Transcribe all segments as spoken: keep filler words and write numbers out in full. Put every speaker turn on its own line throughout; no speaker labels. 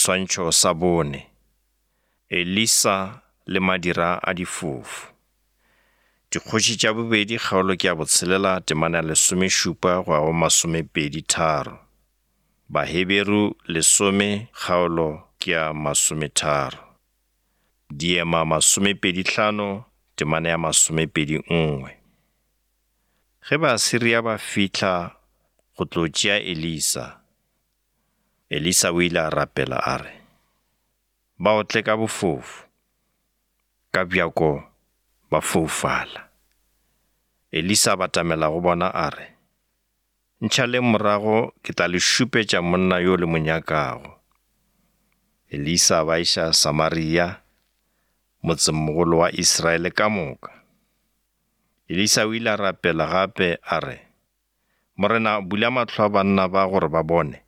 Seswantšho sa bone. Elisa le madira a difofu. Dikgoši tša bobedi kgaolo ke ya botshelela temana ya lesomešupa go ya go masomepedi tharo. Baheberu lesome kgaolo ke ya masometharo. Diema masomepedi hlano temana ya masomepedi nngwe. Ge Baasiria ba fihla go tlo tšea Elisa, Elisa o ile a rapela a re, ba otle ka bofofu, ka bjako ba foufala. Elisa a batamela go bona a re, ntšhaleng morago ke tla le šupetša monna yo le mo nyakago. Elisa a ba iša Samaria, motsengmogolo wa Israele ka moka. Elisa o ile a rapela gape a re, Morena bula mahlo a banna ba gore ba bone.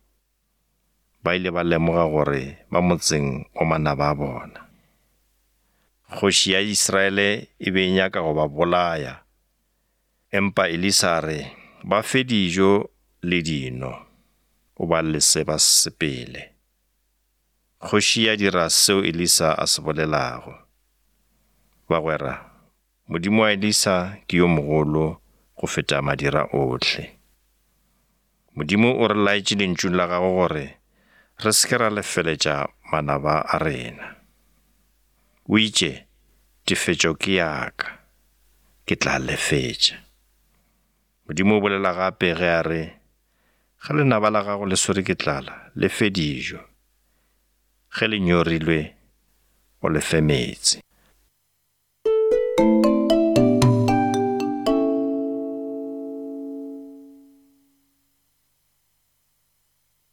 Ba ile ba lemoga gore ba motseng wa manaba a bona. Kgoši ya Israele e be e nyaka go ba bolaya, empa Elisa a re ba fe dijo le dino, o ba lese ba sepele. Kgoši ya dira seo Elisa a se bolelago. Bagwera, Modimo wa Elisa ke yo mogolo go feta madira ohle. Modimo o re laetše lentšung la gagwe gore re se ke ra lefeletša manaba a rena. O itše, tefetšo ke ya ka, ke tla lefetša. Modimo o bolela gape ge a re, ge lenaba la gago le swere ke tlala, le fe dijo. Ge le nyorilwe, o le fe meetse.